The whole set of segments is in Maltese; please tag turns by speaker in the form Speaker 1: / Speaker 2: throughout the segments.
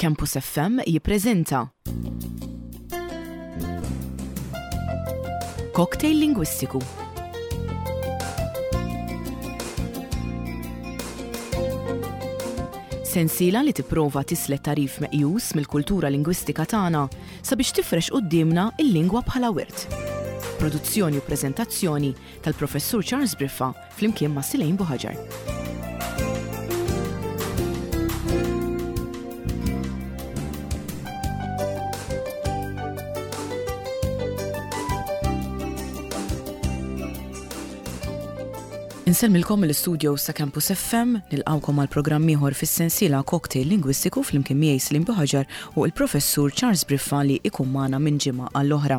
Speaker 1: Campus FM jippreżenta Cocktail Lingwistiku. Sensiela li tipprova tislet tagħrif meqjus mill-kultura lingwistika tagħna sabiex tifrex quddiemna l-lingwa bħala wirt. Produzzjoni u preżentazzjoni tal-Professur Charles Briffa flimkien ma' Silejn Buħaġar. Insellmilkom mill-istudios ta' Campus FM, nilqgħukom għal programm ieħor fis-sensiela Cocktail Lingwistiku flimkien miegħi Slim Buħaġar u l-Professur Charles Briffa li ikun magħna minn ġimgħa għall-oħra.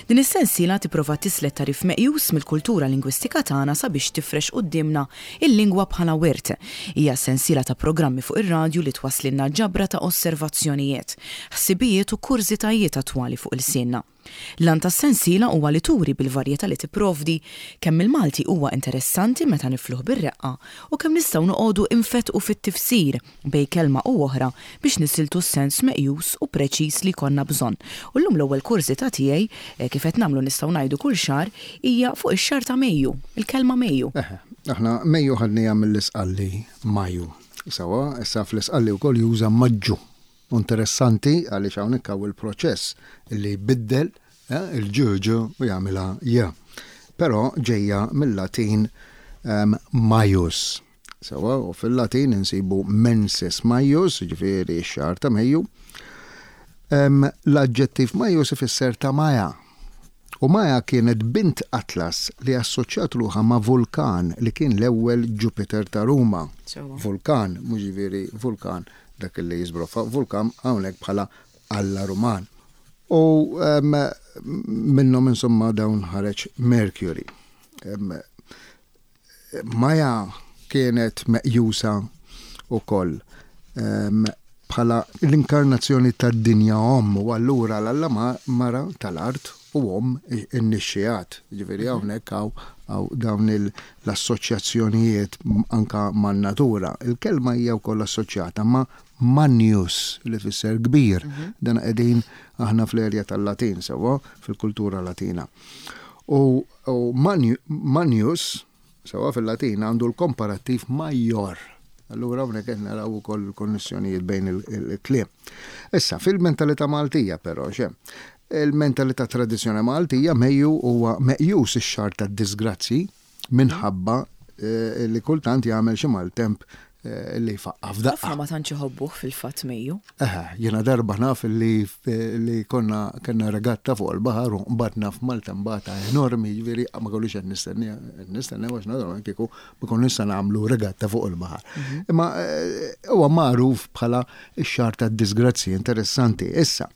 Speaker 1: Din is-sensiela tipprova tislet tagħrif meqjus mill-kultura lingwistika tagħna sabiex tifrex quddiemna l-lingwa bħala wirt. Hija sensiela ta' programmi fuq ir-radju li twasslilna ġabra ta' osservazzjonijiet, ħsibijiet u kurżitajiet attwali fuq ilsienna. L-għan tas-sensiela huwa li turi bil-varjetà li tipprovdi kemm il-Malti huwa interessanti meta nifluh bir-reqqa u kemm nistgħu noqogħdu infettqu fit-tifsir bejn kelma u oħra biex nisiltu s-sens meqjus u preċiż li jkollna bżonn. U llum l-ewwel kurżità tiegħi, kif qed nagħmlu nistgħu ngħidu kull xahar, hija fuq ix-xahar ta' Mejju, il-kelma Mejju.
Speaker 2: Eħe, aħna Mejju ħadniha mill-Isqalli Maju. Sewwa, issa fl-Isqalli wkoll juża Maġġu. U interessanti għaliex hawnhekk hawn il-proċess li jbiddel il-ġ ġ u jagħmilha j. Però ġejja mill-Latin maius. Sewwa, u fil-Latin insibu mensis maius, jiġifieri x-xahar ta' Mejju. L-aġġettiv maius ifisser ta' Maja. U Maja kienet bint Atlas li assoċjat ruħha ma' Vulkan li kien l-ewwel Ġupiter ta' Ruma. Vulkan, mhux jiġifieri vulkan dak li jiżbroffa, Vulkan hawnhekk bħala alla Ruman. U minnhom insomma dawn ħareġ Mercury. Maja kienet meqjusa wkoll bħala l-inkarnazzjoni tad-dinja omm u allura l-alla mara tal-art u omm in-nixxigħat. Jiġifieri hawnhekk hawn dawn l-assoċjazzjonijiet anke man-natura. Il-kelma hija wkoll assoċjata ma' Magnus li tfisser kbir. Dan qegħdin aħna fl-erja tal-Latin sewwa, fil-kultura Latina. U U Manius, sewwa fil-Latin, għandu l-komparattiv major. Allura hawnhekk qed naraw ukoll il-konnessjonijiet bejn il-kliem. Issa, fil-mentalità Maltija però x'hemm? Il-mentalità tradizzjonali Maltija Mejju huwa meqjus ix-xahar tad-diżgrazzji minħabba li kultant jagħmel xi maltemp li jfaqqa' f'daqqa.
Speaker 1: Ħafna ma tantx iħobbuh fil-fatt Mejju.
Speaker 2: Eħe, jiena darba naf li li konna kellna regatta fuq il-baħar u nqbadna f'maltembata enormi, jiġifieri ma konniex qed nistenniha, qed nistennew għax naturalment kieku ma konniex se nagħmlu regatta fuq il-baħar. Imma huwa magħruf bħala x-xahar tad-diżgrazzji, interessanti. Issa,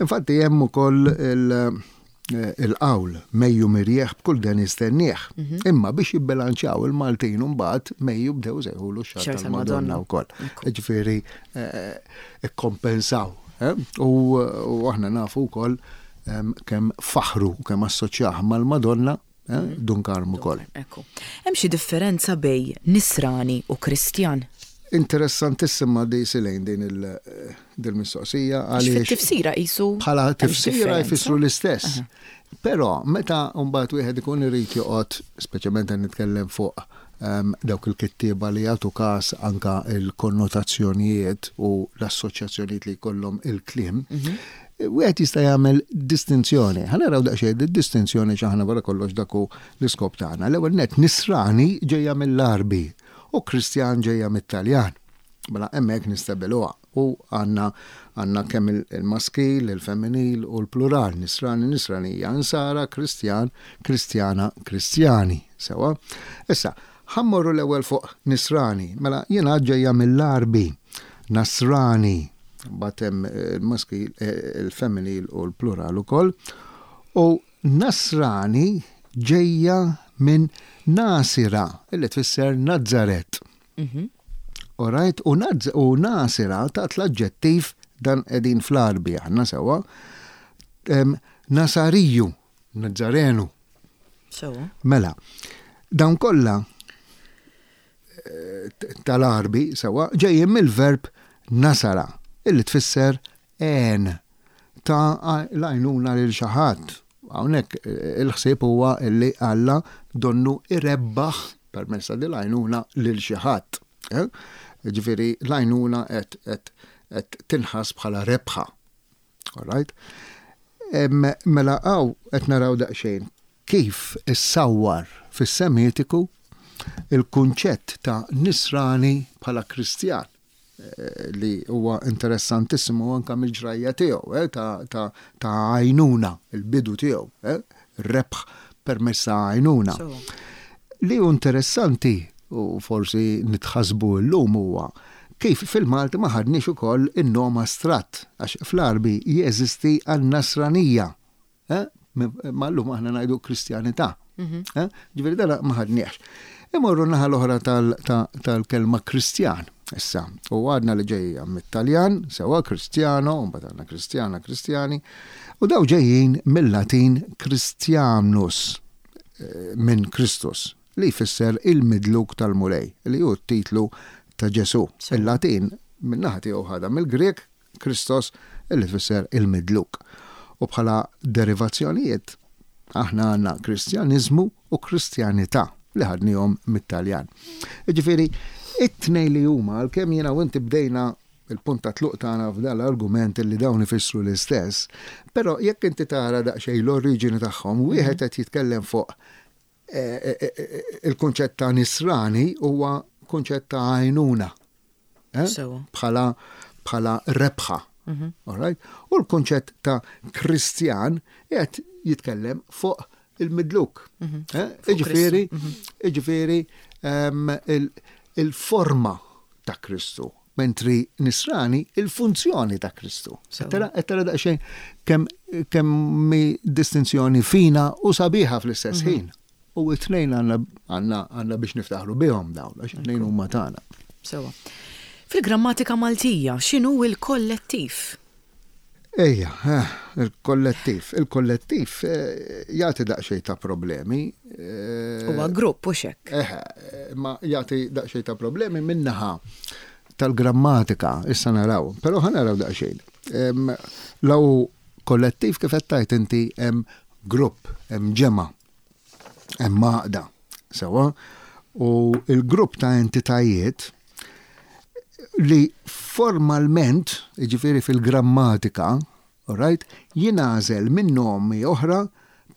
Speaker 2: infatti hemm ukoll il- il-qawl Mejju mirjieħ b'kull den jistennieh. Imma biex jibbilanċjaw il-Maltin imbagħad Mejju bdew isejħulu x-xahar tal-Madonna wkoll. Jiġifieri ikkompensaw. U aħna nafu wkoll kemm faħħru u kemm assoċjah mal-Madonna Dun Karm ukoll.
Speaker 1: Ekku. Hemm xi differenza bejn Nisrani u Kristjan?
Speaker 2: Interessantissima di Silejn din il-mistoqsija
Speaker 1: għaliex. Fit-tifsira qisu.
Speaker 2: Bħala tifsira jfissru l-istess. Però meta mbagħad wieħed ikun irid joqgħod, speċjalment qed nitkellem fuq dawk il-kittieba li jagħtu każ anka l-konnotazzjonijiet u l-assoċjazzjonijiet li jkollhom il-kliem, wieħed jista' jagħmel distinzjoni. Ħa naraw daqsxejn id-distinzjoni x'aħna wara kollox dak hu l-iskop tagħna. L-ewwel nett Nisrani ġejja mill-Għarbi u Kristjan ġejja mit-Taljan. Mela hemmhekk nistabiluha u għandna għandna kemm il-maskil, il-femminil u l-plural, Nisrani, Nisranija, Insara, Kristjan, Kristjana, Kristjani. Sewwa? Issa, ħa mmorru l-ewwel fuq Nisrani. Mela jiena ġejja mill-Għarbi, Nasrani, mbagħad hemm il-maskil, il-femminil u l-plural ukoll. U Nasrani ġejja minn Nasira, illi tfisser Nazaret. All right? U, u Nasira tat l-aġġettiv dan qegħdin fl-Għarbi aħna sewwa. Nasariju, Nazarenu.
Speaker 1: Sewwa.
Speaker 2: Mela, dawn kollha tal-Għarbi sewwa ġejjin mill-verb nasara. illi tfisser għen, ta l-għajnuna lil xi ħadd. Hawnhekk il-ħsieb huwa illi Alla donnu irebbaħ permezz ta' din l-għajnuna lil xi ħadd. Eh? Ġifieri l-għajnuna qed tinħass bħala rebħa. All right? Mela hawn qed naraw daqsxejn kif issawwar fis-Semitiku il-kunċett ta' Nisrani bħala Kristjan eh, li huwa interessantissimu anka mill-ġrajja tiegħu eh, ta' għajnuna, il-bidu tiegħu, eh, rebħ permezz ta' għajnuna. Li hu interessanti u forsi nitħassbu llum huwa kif fil-Malti ma ħadniex ukoll in-nom astratt għax fl-Għarbi jeżisti għan-Nasranija. Eh? Ma llum aħna ngħidu Kristjanità. Mhm. Eh? Ġifieri dan ma ħadniex. Imorru naħa l-oħra tal-kelma Kristjan. Issa, u għadna li ġejja mit-Taljan, sewa Kristjano, u mbagħad għandna Kristjana, Kristjani, u daw ġejjin mill-Latin Christianus, eh, minn Kristus, li jfisser il-midluk tal-Mulej, li hu t-titlu ta' Ġesù. Il-Latin min-naħa tiegħu ħadha mill-Grieg Christos li tfisser il-midluk. U bħala derivazzjonijiet aħna għandna Kristjaniżmu u Kristjanità li ħadnihom mit-Taljan. Jiġifieri, it-tnejn li huma, għalkemm jiena u inti bdejna il-punt ta' tluq tagħna f'dan l-argument li dawn ifissru l-istess, però jekk inti tara daqsxejn l-oriġini tagħhom, wieħed qed jitkellem fuq il-kunċett ta' nisrani huwa kunċett ta' għajnuna. Eh? Bħala bħala rebħa. Mhm. All right? U l-kunċett ta' Kristjan qed jitkellem fuq il-midluk. Mhm. Eh? Iġifieri, mhm. iġifieri ehm, il-forma ta' Kristu, mentri nisrani il-funzjoni ta' Kristu. Tara tara daqsxejn kemm kemm distinzjoni fina u sabiħa fl-istess mhm. ħin. U it-tnejn għandna għandna biex niftaħru bihom dawn, għax it-tnejn huma tagħna.
Speaker 1: Sewa. Fil-grammatika Maltija, x'inhu l-kollettiv?
Speaker 2: Ejja, eh, il-kollettiv. Il-kollettiv eh, jagħti daqsxejn ta' problemi.
Speaker 1: Eh, Huwa grupp u xek.
Speaker 2: Eh, ma jagħti daqsxejn ta' problemi minnaħa tal-grammatika, issa naraw, però ħa naraw daqsxejn. Law kollettiv kif qed tgħid inti hemm grupp, hemm ġemgħa, hemm għaqda, sewwa, u l-grupp ta' entitajiet li formalment, jiġifieri fil-grammatika, alright, jingħażel minn nomi oħra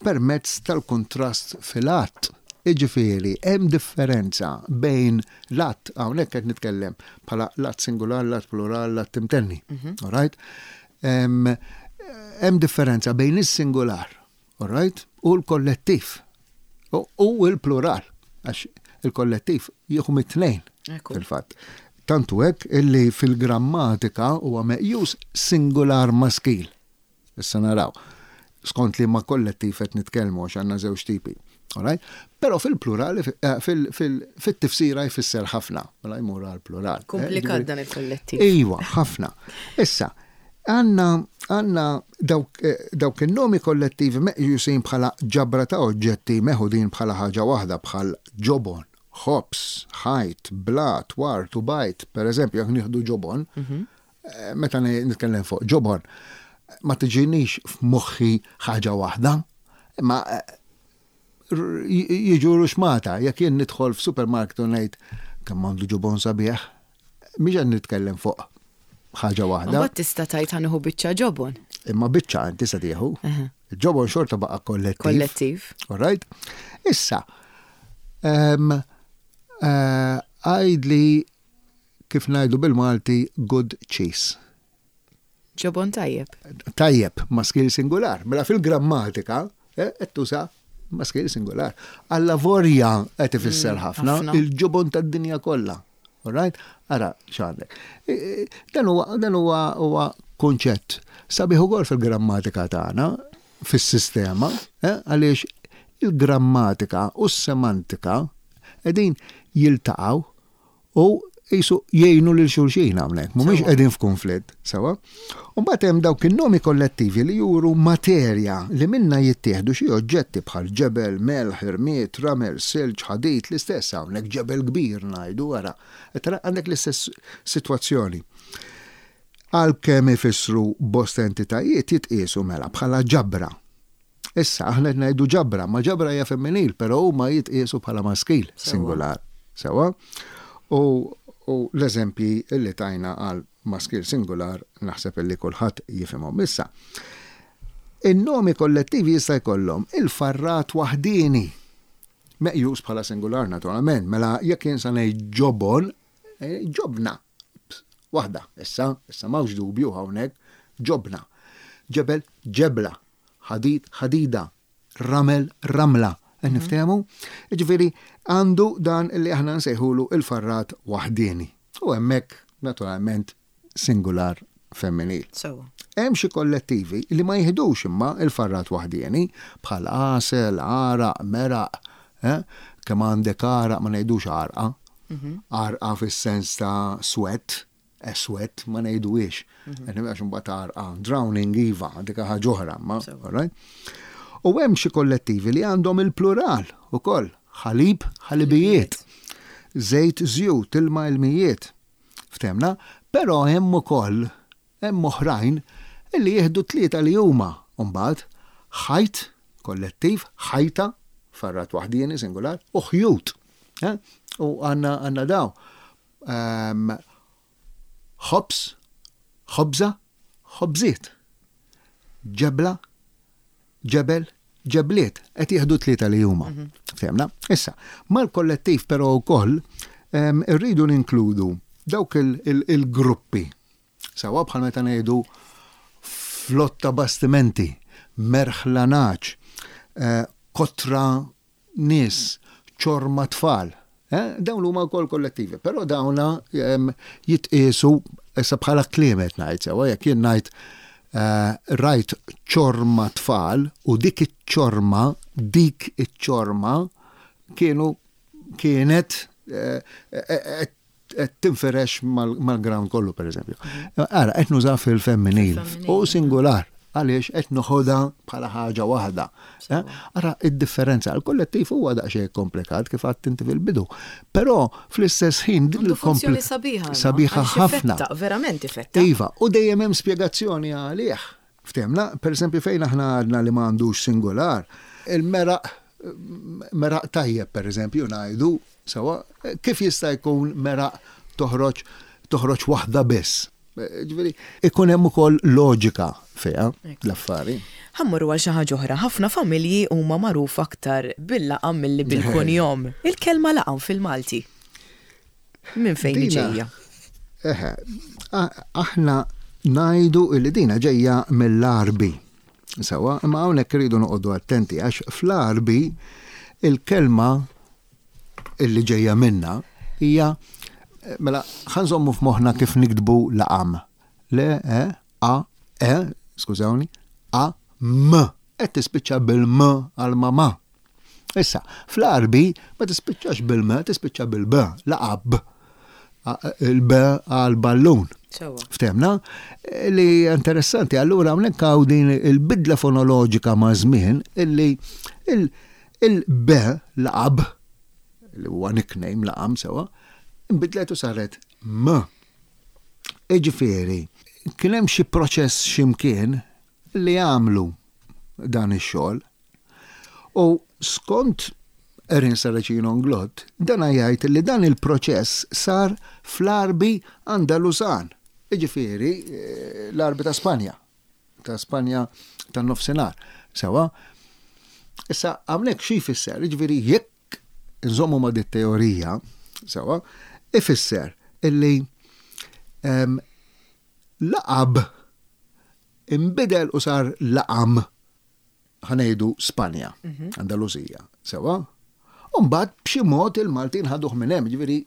Speaker 2: permezz tal-kuntrast fil-għadd. Jiġifieri hemm differenza bejn l-għadd, hawnhekk qed nitkellem bħala l-għadd singular, l-għadd plural, l-għadd imtenni, mhm. alright? Hemm differenza bejn is-singular All right? U l-kollettiv. U l-plural. Għax il-kollettiv jieħu mit-tnejn. Fil-fatt. Tantu hekk illi fil-grammatika huwa meqjus singular maskil. Issa naraw. Skont li ma kollettiv qed nitkellmu għax għandna żewġ tipi. All right? Però fil-plural, eh, fil-tifsira jfisser ħafna, mela jmur għal-plural.
Speaker 1: Eh, Komplikat dan il-kollettiv.
Speaker 2: Iwa, ħafna. Issa, Għandna għandna dawk dawk in-nomi kollettivi meqjusin bħala ġabra ta' oġġetti meħudin bħala ħaġa waħda bħal ġobon, ħobż, ħajt, blat, ward u bajd. Per eżempju, jekk nieħdu ġobon, meta nitkellem fuq ġobon, ma tiġinix f'moħħi ħaġa waħda, imma jiġu ruxmata. Jekk jien nidħol f'supermarket u ngħid kemm għandu ġobon sabiħ, mhix qed nitkellem fuq ħaġa waħda.
Speaker 1: Mbagħad tista' tgħid ħa nieħu biċċa ġobon.
Speaker 2: Imma biċċa inti se tieħu. Il-ġobon xorta baqa' kollettiv.
Speaker 1: Kollettiv.
Speaker 2: All right? Issa, ehm, eh, għajdli kif ngħidu bil-Malti good cheese.
Speaker 1: Ġobon tajjeb.
Speaker 2: Tajjeb, maskil singular. Mela fil-grammatika, eh, qed tuża maskil singular. Alla vorja qed ifisser mm, ħafna il-ġobon tad-dinja kollha. All right? Ara x'għandek. E, e, dan huwa dan huwa huwa kunċett sabiħ ukoll fil-grammatika tagħna, fis-sistema, eh, għaliex il-grammatika u s-semantika qegħdin jiltaqgħu u qisu jgħinu lil xulxin hawnhekk, mhumiex qegħdin f'kunflitt, sewwa. U mbagħad hemm dawk in-nomi kollettivi li juru materja li minnha jittieħdu xi oġġetti bħal ġebel, melħ, irmied, ramel, silġ, ħadid, l-istess hawnhekk ġebel kbir ngħidu, ara, qed tara għandek l-istess sitwazzjoni. Għalkemm ifissru bosta entitajiet jitqiesu mela bħala ġabra. Issa, aħna qed ngħidu ġabra, ma ġabra hija femminil, però huma jitqiesu bħala maskil singular. Sewwa? U, u l-eżempji li tajna għal maskil singular naħseb li kulħadd jifhimhom. Issa, in-nomi kollettivi jista' jkollhom il-farrat waħdieni, meqjus bħala singular naturalment, mela jekk jien sa ngħid ġobon, eh, ġobna. Waħda, issa, issa m'hawnx dubju hawnhekk, ġobna. Ġebel, ġebla. Ħadid, ħadida. Ramel, ramla. Qed mhm. niftehmu? Jiġifieri għandu dan li aħna nsejħulu il-farrat waħdieni. U hemmhekk naturalment singular femminil.
Speaker 1: Sewwa.
Speaker 2: Hemm xi kollettivi li ma jiħdux imma il-farrat waħdieni bħal għasel, għaraq, meraq, eh? Kemm għandek għaraq ma ngħidux għarqa. Mhm. Għarqa fis-sens ta' sweat, a sweat ma ngħiduhiex. Mhm. Għax imbagħad għarqa, drowning iva, dik ħaġa oħra, ma, right? U hemm xi kollettivi li għandhom il-plural ukoll, ħalib, ħalibijiet, żejt, żjut, ilma, ilmijiet. Ftehmna? Però hemm ukoll, hemm oħrajn li jieħdu t-tlieta li huma mbagħad, ħajt, kollettiv, ħajta, farrat waħdieni, singular, u ħjut. Eh? U għandna għandna daw. Ehm, ħobż, ħobża, ħobżiet. Ġebla, ġebel, ġebliet, qed jieħdu tlieta li huma. Mhm. Fehmna? Issa, mal-kollettiv però wkoll irridu ninkludu dawk il-gruppi. Sawa bħal meta ngħidu flotta bastimenti, merħla naċ, eh, kotra nies, ċorma tfal. Eh, dawn huma wkoll kollettivi, però dawna jitqiesu issa bħala kliem qed ngħid sewa jekk jien ngħid eh, rajt ċorma tfal u dik iċ-ċorma, dik iċ-ċorma kienu kienet eh, qed tinferex mal-ground kollu pereżempju. Mhm. Ara, qed nuża fil-femminil u singular għaliex qed noħodha bħala ħaġa waħda. Eh? Ara id-differenza, il-kollettiv huwa daqsxejn komplikat kif għadt inti fil-bidu. Però fl-istess ħin
Speaker 1: din il-funzjoni sabiħa.
Speaker 2: Sabiħa ħafna.
Speaker 1: Verament ifetta.
Speaker 2: Iva, u dejjem hemm spjegazzjoni għalih. Ftehmna, pereżempju fejn aħna għadna li ma għandux singular, il-meraq meraq tajjeb pereżempju ngħidu sewwa, kif jista' jkun meraq toħroġ toħroġ waħda biss. Ġifieri, ikun hemm ukoll loġika fiha l-affari.
Speaker 1: Ħa mmorru għal xi ħaġa oħra. Ħafna familji huma magħrufa aktar bil-laqam milli bil-kunjom. Il-kelma laqam fil-Malti. Minn fejn hi ġejja?
Speaker 2: Eħe, aħna ngħidu li dina ġejja mill-Għarbi. Sewa, imma hawnhekk irridu noqogħdu attenti għax fl-Għarbi il-kelma illi ġejja minna hija mela ħanżommu f'moħħna kif niktbu laqam. Le, e, a, e, skużawni, a, m. Qed tispiċċa bil-m għal mama. Issa, fl-Għarbi ma tispiċċax bil-m, tispiċċa bil-b, laqab. Il-b għal ballun. Ftemna? Li interessanti, allura hawnhekk hawn din il-bidla fonoloġika ma' żmien illi il-b laqab li huwa nickname laqam sewa, inbidlet u saret m. Iġifieri, kien hemm xi proċess x'imkien li għamlu dan ix-xogħol U skont Erin Saracino Nglott, dana jgħid li dan il-proċess sar fl-Għarbi Andalusan, jiġifieri l-Għarbi ta' Spanja, ta' Spanja tan-Nofsinhar. Sewwa? Issa hawnhekk xi jfisser? Jiġifieri jekk inżommu ma' dit-teorija, sewwa, ifisser illi ehm, laqab inbidel u sar laqam ħa ngħidu Spanja, mhm. Andalusija, sewa. U mbagħad b'xi mod il-Maltin ħaduh minn hemm, ġifieri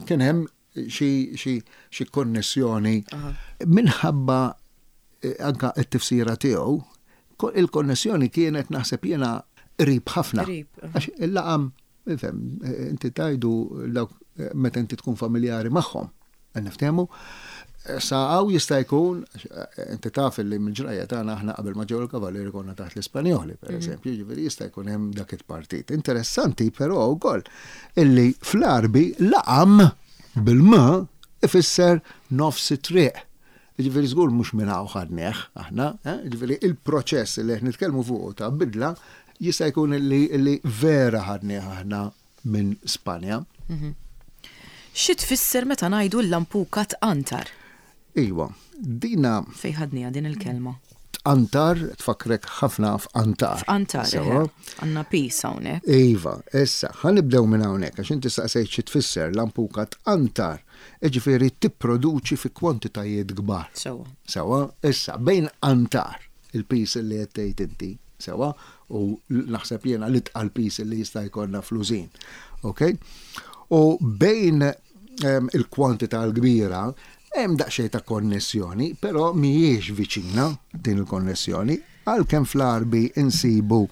Speaker 2: kien hemm xi konnessjoni minħabba eh, anka t-tifsira tiegħu, il-konnessjoni kienet naħseb jiena qrib ħafna. Għax il-laqam Ifhem, inti tajdu dawk meta inti tkun familjari magħhom. Niftehmu? Sa hawn jista' jkun, inti taf li mill-ġrajja tagħna aħna qabel ma ġew il-Kavallieri konna taħt l-Ispanjoli, per mhm. eżempju, ġifieri jista' jkun hemm dak it-partit. Interessanti però wkoll illi fl-Arbi laqam bil-m ifisser nofs it-triq. Jiġifieri żgur mhux minn hawn ħadnieh aħna, eh? Jiġifieri il-proċess li qed nitkellmu fuqu ta' bidla jista' jkun li, li vera ħadnieh aħna minn Spanja. Mhm.
Speaker 1: Xi tfisser meta ngħidu l-lampuka tqantar?
Speaker 2: Iwa, dina.
Speaker 1: Fejn ħadniha din il-kelma?
Speaker 2: Tqantar, tfakkrek ħafna f'qantar.
Speaker 1: F'qantar, eħe. Għandna piece hawnhekk.
Speaker 2: Iva, issa, ħa nibdew minn hawnhekk għax inti staqsejt xi tfisser lampuka tqantar, jiġifieri tipproduċi fi kwantitajiet kbar.
Speaker 1: Sewwa.
Speaker 2: Sewwa, issa, bejn qantar, il-piece li qed tgħid inti, sewwa, u naħseb jiena l-itqal piece li jista' jkollna fl-użin. Ok? U bejn il-kwantità l-kbira, hemm daqsxejn ta' konnessjoni, però mhijiex viċina din il-konnessjoni, għalkemm fl-Għarbi insibu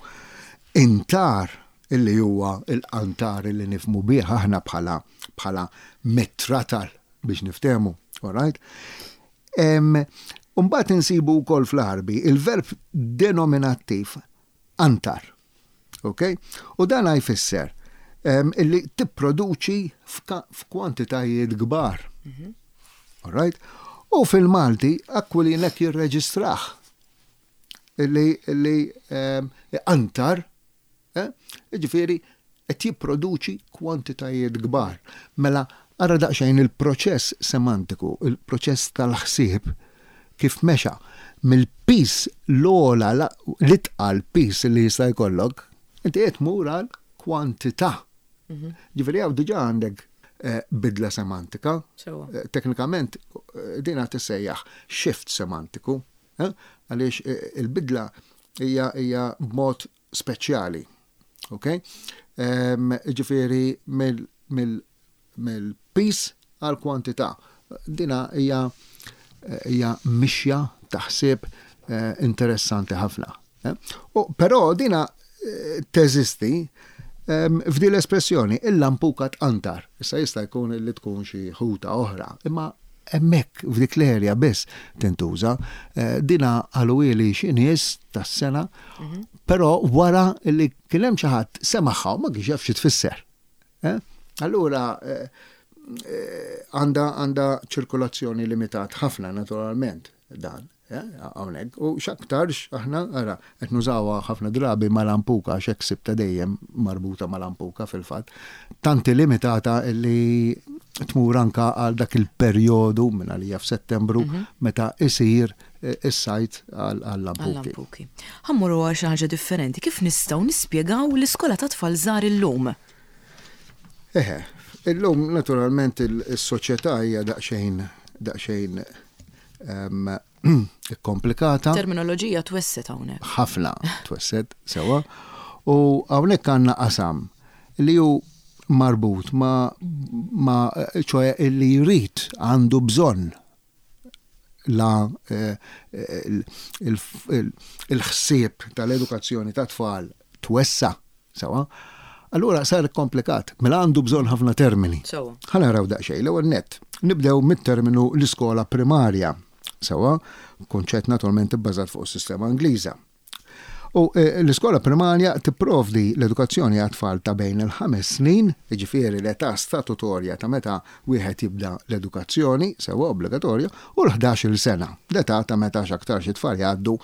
Speaker 2: intar illi huwa l-qantar illi nifhmu bih aħna bħala bħala metratal biex niftehmu, all right? Mbagħad insibu wkoll fl-Għarbi il-verb denominattiv antar. Ok? U dan jfisser illi tipproduċi f'kwantitajiet kbar. Mhm. All right? U fil-Malti Aquilin hekk jirreġistrah illi illi antar, eh? Ġifieri qed jipproduċi kwantitajiet kbar. Mela ara daqsxejn il-proċess semantiku, il-proċess tal-ħsieb kif mexa mill-piż l-ogħla, l-itqal piż li jista' jkollok, inti qed tmur għal kwantità. Mhm. Ġifieri hawn diġà għandek eh, bidla semantika. Eh, teknikament eh, din qed tissejjaħ shift semantiku, għaliex il-bidla hija hija b'mod speċjali. Ok? Ehm, ġifieri mill mill-piż għall-kwantità. Dina hija hija mixja ta' ħsieb eh, interessanti ħafna. Eh. U però dina eh, teżisti ehm, f'din l-espressjoni il-lampuka tqantar. Issa jista' jkun li tkun xi ħuta oħra, imma hemmhekk f'dik l-erja biss tintuża. Dina qaluhieli xi nies tas-sena, mhm. però wara li kien hemm xi ħadd semagħha u ma kienx jaf xi tfisser. Eh? Allura eh, eh, għandha għandha ċirkolazzjoni limitat ħafna naturalment dan. Hawnhekk. U x'aktarx aħna ara qed nużawha ħafna drabi mal-ampuka għax hekk sibta dejjem marbuta mal-ampuka fil-fatt. Tanti limitata li tmur anka għal dak il-perjodu minn għalija f'Settembru mhm. meta isir is-sajt għall-lampuki.
Speaker 1: Ħa mmorru għal xi ħaġa differenti. Kif nistgħu nispjegaw l-iskola ta' tfal żgħar illum?
Speaker 2: Eħe, illum naturalment is-soċjetà hija daqsxejn daqsxejn ehm, komplikata.
Speaker 1: Terminoloġija twesset hawnhekk.
Speaker 2: Ħafna twesset sewwa. U hawnhekk għandna qasam li hu marbut ma, ma ċoħe li jrid għandu bżonn la il-ħsieb tal-edukazzjoni ta' tfal twessa, sewa, allura sar komplikat, mela għandu bżonn ħafna termini. Ħa naraw daqsxejn, l-ewwel nett, nibdew mit-terminu l-iskola primarja, sewa, kunċett naturalment ibbażat fuq is-sistema Ingliża. U eh, l-iskola primarja tipprovdi l-edukazzjoni għat-tfal ta' bejn il-ħames snin, jiġifieri l-età statutorja ta' meta wieħed jibda l-edukazzjoni, sewwa obbligatorja, u l-ħdax-il sena, l-età ta' meta x'aktarx it-tfal jgħaddu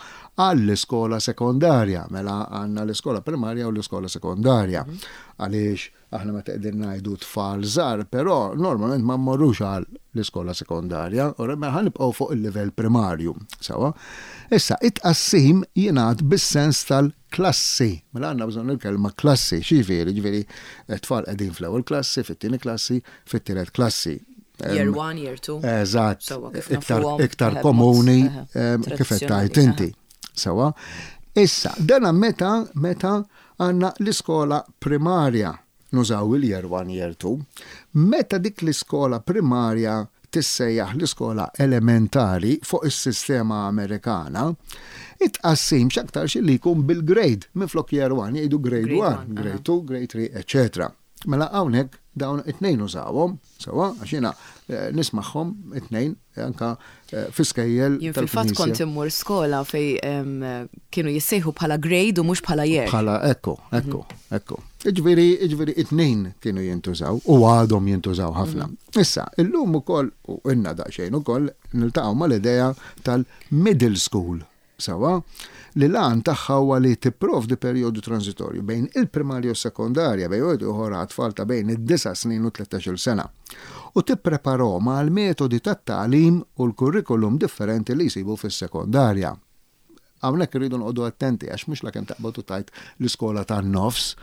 Speaker 2: għall-iskola sekondarja. Mela għandna l-iskola primarja u l-iskola sekondarja. Għaliex Aħna meta qegħdin ngħidu tfal żgħar, però normalment ma mmorrux għal l-iskola sekondarja, u mela ħa nibqgħu fuq il-livell primarju. Sewwa? Issa, it-tqassim jingħad bis-sens tal-klassi. Mela għandna bżonn il-kelma klassi. X'jiġifieri? Jiġifieri t-tfal qegħdin fl-ewwel klassi, fit-tieni klassi, fit-tielet klassi.
Speaker 1: Year 1, year 2.
Speaker 2: Eżatt. Iktar, iktar komuni kif qed tgħid inti. Sewwa? Issa, dana meta meta Għandna l-iskola primarja, nużaw il-year 1, year 2. Meta dik l-iskola primarja tissejjaħ l-iskola elementari fuq is-sistema Amerikana, it-tqassim x'aktarx li jkun bil-grade, minflok year 1 jgħidu grade 1, grade 2, grade 3, eċċetera. Mela hawnhekk dawn it-tnejn użawhom, sewwa, għax jiena eh, nismagħhom it-tnejn anka eh, fi skejjel.
Speaker 1: Jien fil-fatt kont immur skola fej kienu jissejħu bħala grade u mhux bħala year.
Speaker 2: Bħala ekku, ekku, mhm. ekku. Jiġifieri, jiġifieri it-tnejn kienu jintużaw u għadhom jintużaw ħafna. Issa, illum ukoll, u ilna daqsxejn ukoll, niltaqgħu mal-idea tal-middle school, sewwa, li l-għan tagħha huwa li tipprovdi perjodu transitorju bejn il-primarja u s-sekondarja, bejn wieħed u ieħor għat-tfal ta' bejn id-disa' snin u t-tlettax-il sena, u tippreparahom għall-metodi tat-tagħlim u l-kurrikulum differenti li jsibu fis-sekondarja. Hawnhekk irridu noqogħdu attenti għax mhux lakemm taqbad u tgħid l-iskola tan-nofs,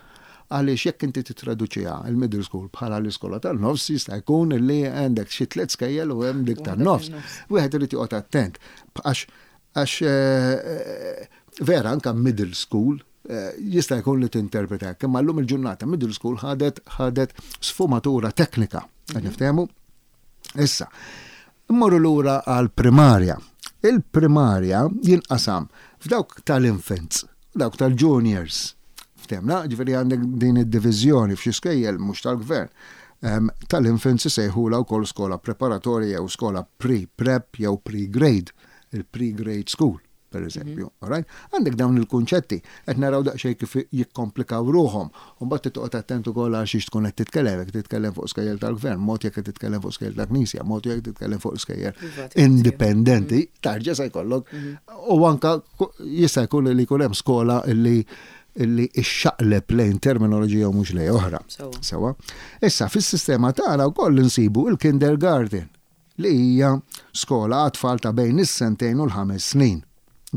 Speaker 2: għaliex jekk inti tittraduċiha il-middle school bħala l-iskola tan-nofs jista' jkun li għandek xi tliet skejjel u hemm dik tan-nofs. Wieħed irid joqgħod attent għax għax vera anke middle school jista' jkun li tinterpreta hekk, imma llum il-ġurnata middle school ħadet ħadet sfumatura teknika. Qed niftehmu? Issa, immorru lura għall-primarja. Il-primarja jinqasam f'dawk tal-infants u dawk tal-juniors. Ftehmna, ġifieri għandek din id-diviżjoni f'xi skejjel mhux tal-gvern. Tal-infants isejħulha wkoll skola preparatorja jew skola pre-prep jew pre-grade, il-pre-grade school. per eżempju. Mhm. Alright? Għandek dawn il-kunċetti, qed naraw daqsxejn kif jikkomplikaw ruħhom. U mbagħad toqgħod attent ukoll għal xiex tkun qed titkellem, jekk titkellem fuq skejjel tal-gvern, mod jekk qed titkellem fuq skejjel tal-Knisja, mod jekk titkellem fuq skejjel indipendenti, mhm. tarġa' se jkollok. Mhm. U anka jista' jkun li jkun hemm skola li illi ixxaqleb lejn terminoloġija u mhux lejn oħra. Sewa. Issa fis-sistema tagħna wkoll insibu il-kindergarten. li hija skola għat-tfal ta' bejn is-sentejn u l-ħames snin,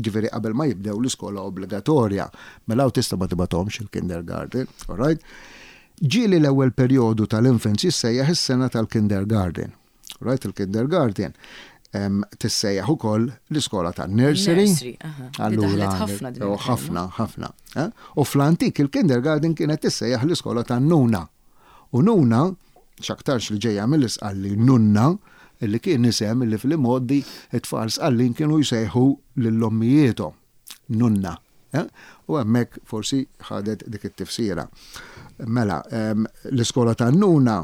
Speaker 2: ġifieri qabel ma jibdew l-iskola obbligatorja. Mela hawn tista' ma tibgħathomx il-kindergarten, all right? Ġieli l-ewwel perjodu tal-infants jissejjaħ is-sena tal-kindergarten. All right, il-kindergarten tissejjaħ ukoll l-iskola tan-nursery.
Speaker 1: Allura
Speaker 2: ħafna, ħafna. Eh? U fl-antik il-kindergarten kienet tissejjaħ l-iskola tan-nuna. U nuna, x'aktarx li ġejja mill-Isqalli nunna, li kien isem li fl-imgħoddi t-tfal Sqallin kienu jsejħu lil ommijiethom, nunna. U hemmhekk forsi ħadet dik it-tifsira. Mela, l-iskola tan-nuna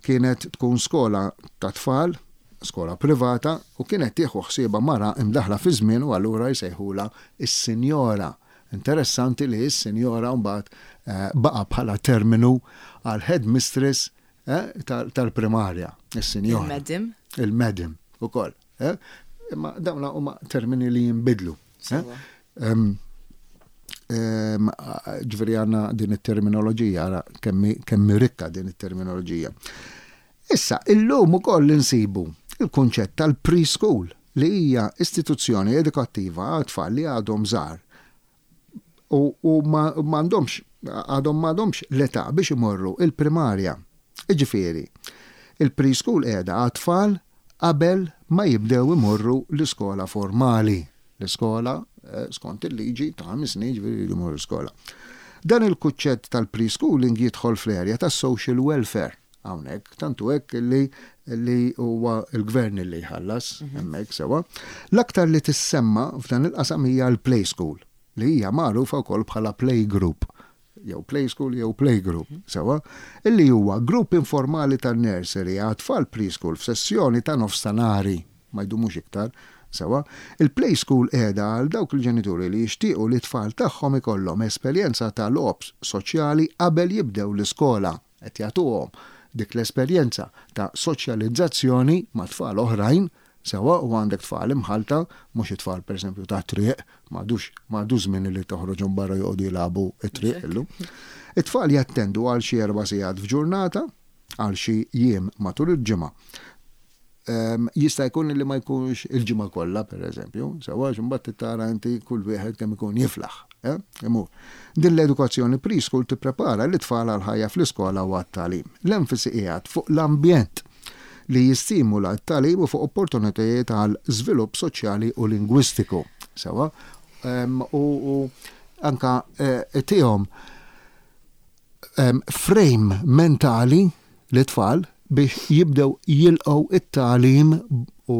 Speaker 2: kienet tkun skola ta' tfal, skola privata, u kienet tieħu ħsiebha mara imdaħħla fiż-żmien u allura jsejħulha s-sinjora. Interessanti li s-sinjora mbagħad baqa' bħala terminu għal headmistress tal-primarja, is-sinjora.
Speaker 1: Il-madam.
Speaker 2: Il-madam ukoll. Imma dawn huma termini li jinbidlu. Ġifieri għandna din it-terminoloġija, ara kemm rikka din it-terminoloġija. Issa, illum ukoll insibu il-kunċett tal-preschool li hija istituzzjoni edukattiva għal tfal li għadhom żgħar u u ma m'għandhomx għadhom m'għadhomx l-età biex imorru il-primarja. Jiġifieri, il-preschool qiegħda għat-tfal qabel ma jibdew imorru l-iskola formali. L-iskola, skont il-liġi, ta' ħames snin, jiġifieri jridu jmorru l-iskola. Dan il-kuċċett tal-preschooling jidħol fl-area tas-social welfare. Hawnhekk, tant hu hekk li li huwa l-gvern li jħallas mhm. hemmhekk sewwa. L-aktar li tissemma f'dan il-qasam hija l-play school li hija magħrufa wkoll bħala play group jew play school jew play group, mhm. sewwa, illi huwa grupp informali tan-nursery għat-tfal preschool f'sessjoni ta' nofs ta' nari ma jdumux iktar, sewwa. Il-play school qiegħda għal dawk il-ġenituri li jixtiequ li t-tfal tagħhom ikollhom esperjenza ta' logħob soċjali qabel jibdew l-iskola. Qed jagħtuhom dik l-esperjenza ta' soċjalizzazzjoni ma' tfal oħrajn, sewwa u għandek tfal imħallta, mhux it-tfal pereżempju tat-triq, m'għadux m'għadux żmien li toħroġhom barra joqogħdu jilagħbu t-triq illum. It-tfal jattendu għal xi erba' sigħat f'ġurnata, għal xi jiem matul il-ġimgħa. Jista' jkun li ma jkunx il-ġimgħa kollha, pereżempju, sewwa għax imbagħad trid tara inti kull wieħed kemm ikun jiflaħ, eh, imur. Din l-edukazzjoni preschool tipprepara lit-tfal għall-ħajja fl-iskola u għat-tagħlim. L-enfasi qiegħed fuq l-ambjent li jistimula t-tagħlim u fuq opportunitajiet għal żvilupp soċjali u lingwistiku, sewwa, u anke tihom frame mentali lit-tfal biex jibdew jilqgħu it-tagħlim u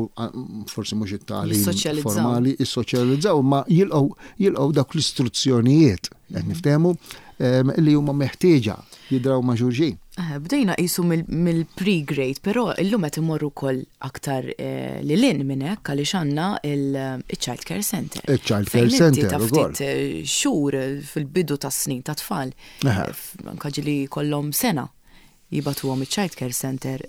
Speaker 2: forsi mhux it-tagħlim formali, jissoċjalizzaw, ma jilqgħu jilqgħu dawk l-istruzzjonijiet qed niftehmu. li huma meħtieġa jidraw ma' xulxin.
Speaker 1: Eh, bdejna qisu mill-pre-grade, però illum qed imorru wkoll aktar eh, lil hinn minn hekk għaliex għandna il-Child Care Center.
Speaker 2: Il-Child Care Center
Speaker 1: ta' ftit eh, xhur fil-bidu tas-snin ta' tfal. Anka ġieli kollhom sena jibatuhom iċ-Child Care Center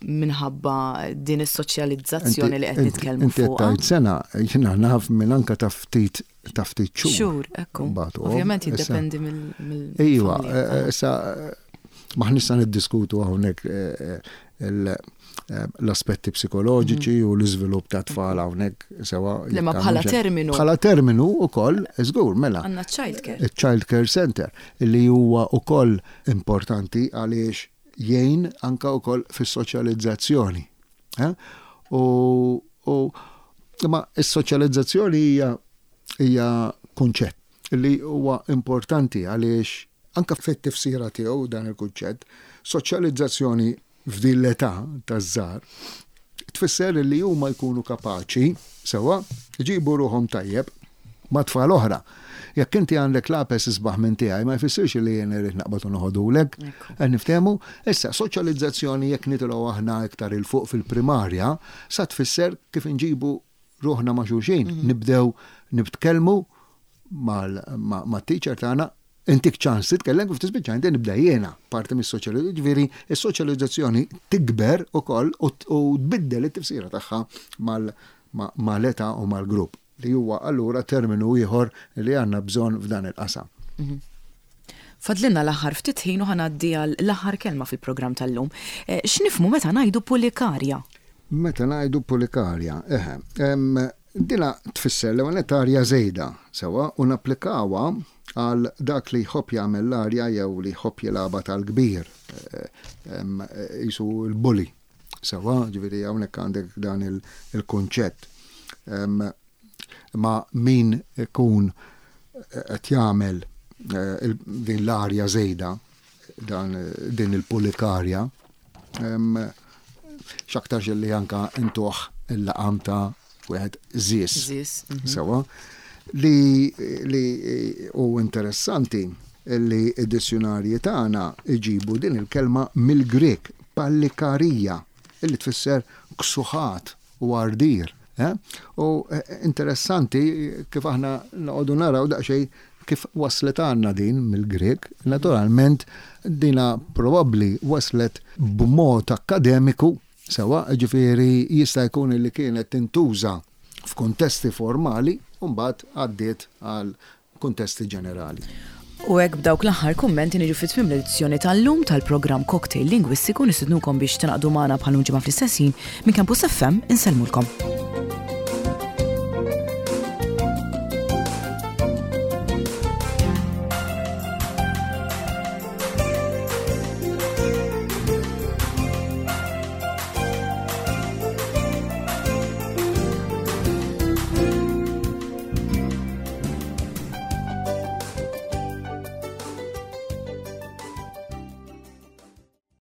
Speaker 1: minħabba din is-soċjalizzazzjoni li qed nitkellmu
Speaker 2: fuq. Inti sena, jiena naf minn anka ta' ftit ta' ftit xhur.
Speaker 1: Xhur, ekku. Ovvjament jiddependi mill.
Speaker 2: Iva, eh, eh, issa maħniex sa niddiskutu hawnhekk eh, l-aspetti psikoloġiċi mhm. u l-iżvilupp ta' tfal hawnhekk sewa.
Speaker 1: Le ma bħala terminu.
Speaker 2: Bħala terminu ukoll, żgur, mela.
Speaker 1: Għandna child care.
Speaker 2: Child care center li huwa ukoll importanti għaliex jgħin anka wkoll fis-soċjalizzazzjoni. Eh? U, u imma s-soċjalizzazzjoni hija hija kunċett li huwa importanti għaliex anka fit-tifsira tiegħu dan il-kunċett, soċjalizzazzjoni f'din l-età taż-żgħar tfisser li huma jkunu kapaċi sewwa jġibu ruħhom tajjeb ma' tfal oħra. Jekk inti għandek lapes isbaħ minn tiegħi ma jfissirx li jien irrid naqbad u noħodulek. Qed niftehmu? Issa, soċjalizzazzjoni jekk nitilgħu aħna iktar 'il fuq fil-primarja, sa tfisser kif inġibu ruħna ma' xulxin, mhm. nibdew nitkellmu mat-teacher tagħna intik ċans titkellem kif tispiċċa inti nibda jiena parti mis-soċjalizzazzjoni. Ġifieri, is-soċjalizzazzjoni tikber ukoll u tbiddel it-tifsira tagħha mal-età u mal-grupp. Li huwa allura terminu ieħor li għandna bżonn f'dan il-qasam.
Speaker 1: Mhm. Fadlilna l-aħħar ftit ħin u ħa ngħaddi għal l-aħħar kelma fil-programm tal-lum. Eh, x'nifhmu meta ngħidu pulikarja?
Speaker 2: Meta ngħidu pulikarja, eħe, dina tfisser l ewwel arja żejda, sewa, u napplikawha għal dak li jħobb jagħmel l-arja jew li jħobb jilgħabha tal-kbir, eh, qisu l-bully. Sewwa, ġifieri hawnhekk għandek dan il-kunċett. Ma min ikun qed jagħmel eh, din l-arja żejda, dan din il-pulikarja, x'aktarx li anka intuħ il-laqam ta' wieħed żies.
Speaker 1: Żies.
Speaker 2: Mhm. Sewwa. Li li u interessanti li id-dizzjunarji tagħna iġibu din il-kelma mill-Grek pallikarija illi tfisser ksuħat u għardir. Eh? U eh, interessanti kif aħna noqogħdu naraw daqsxejn kif waslet għandna din mill-Grek, naturalment dina probabbli waslet b'mod akkademiku Sewwa, jiġifieri jista' jkun li kienet tintuża f'kuntesti formali u mbagħad għaddiet għal kuntesti ġenerali.
Speaker 1: U hekk b'dawk l-aħħar kummenti niġu fi tmiem l-edizzjoni tal-lum tal-programm Cocktail Lingwistiku nistidnukom biex tingħaqdu magħna bħal ġimgħa fl-istess ħin minn Campus FM insellmulkom.